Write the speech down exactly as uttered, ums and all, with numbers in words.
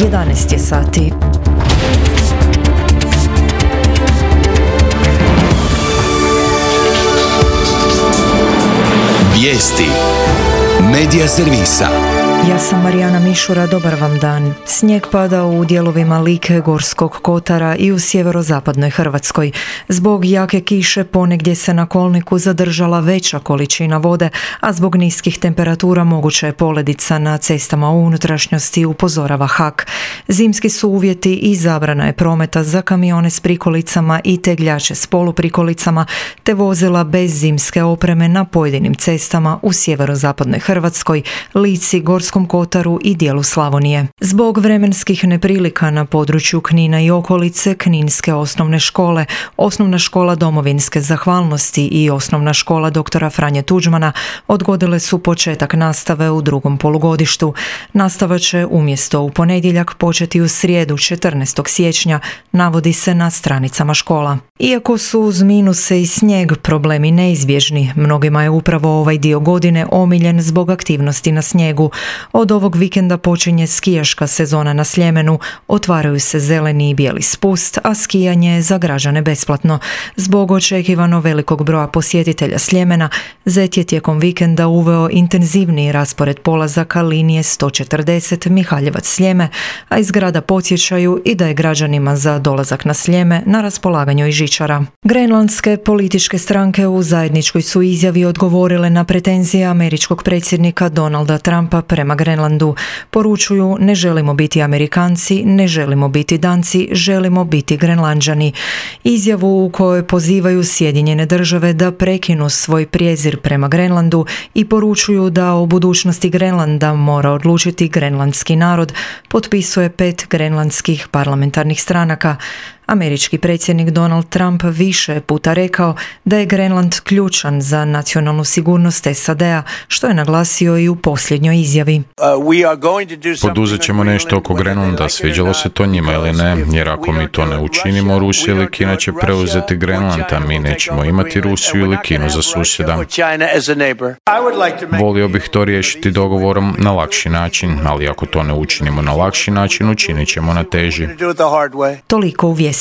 jedanaest je sati. Vijesti Medija servisa. Ja sam Marijana Mišura, dobar vam dan. Snijeg pada u dijelovima Like, Gorskog kotara i u sjeverozapadnoj Hrvatskoj. Zbog jake kiše ponegdje se na kolniku zadržala veća količina vode, a zbog niskih temperatura moguća je poledica na cestama u unutrašnjosti, upozorava H A K. Zimski su uvjeti i zabrana je prometa za kamione s prikolicama i tegljače s poluprikolicama, te vozila bez zimske opreme na pojedinim cestama u sjeverozapadnoj Hrvatskoj, Lici, Gorskom kotaru i dijelu Slavonije. Zbog vremenskih neprilika na području Knina i okolice, kninske osnovne škole, osnovna škola Domovinske zahvalnosti i osnovna škola doktora Franje Tuđmana odgodile su početak nastave u drugom polugodištu. Nastava će umjesto u ponedjeljak početi u srijedu četrnaestog siječnja, navodi se na stranicama škola. Iako su uz minuse i snijeg problemi neizbježni, mnogima je upravo ovaj dio godine omiljen zbog aktivnosti na snijegu. Od ovog vikenda počinje skijaška sezona na Sljemenu, otvaraju se zeleni i bijeli spust, a skijanje je za građane besplatno. Zbog očekivano velikog broja posjetitelja Sljemena, Zet je tijekom vikenda uveo intenzivniji raspored polazaka linije sto četrdeset Mihaljevac-Sljeme, a iz grada podsjećaju i da je građanima za dolazak na Sljeme na raspolaganju i žičara. Grenlandske političke stranke u zajedničkoj su izjavi odgovorile na pretenzije američkog predsjednika Donalda Trumpa prema Grenlandu. Poručuju: ne želimo biti Amerikanci, ne želimo biti Danci, želimo biti Grenlanđani. Izjavu u kojoj pozivaju Sjedinjene države da prekinu svoj prijezir prema Grenlandu i poručuju da o budućnosti Grenlanda mora odlučiti grenlandski narod, potpisuje pet grenlandskih parlamentarnih stranaka. Američki predsjednik Donald Trump više je puta rekao da je Grenland ključan za nacionalnu sigurnost S A D-a, što je naglasio i u posljednjoj izjavi. Poduzet ćemo nešto oko Grenlanda, sviđalo se to njima ili ne, jer ako mi to ne učinimo, Rusija ili Kina će preuzeti Grenland, a mi nećemo imati Rusiju ili Kinu za susjeda. Volio bih to riješiti dogovorom na lakši način, ali ako to ne učinimo na lakši način, učinit ćemo na teži. Toliko u vijestima.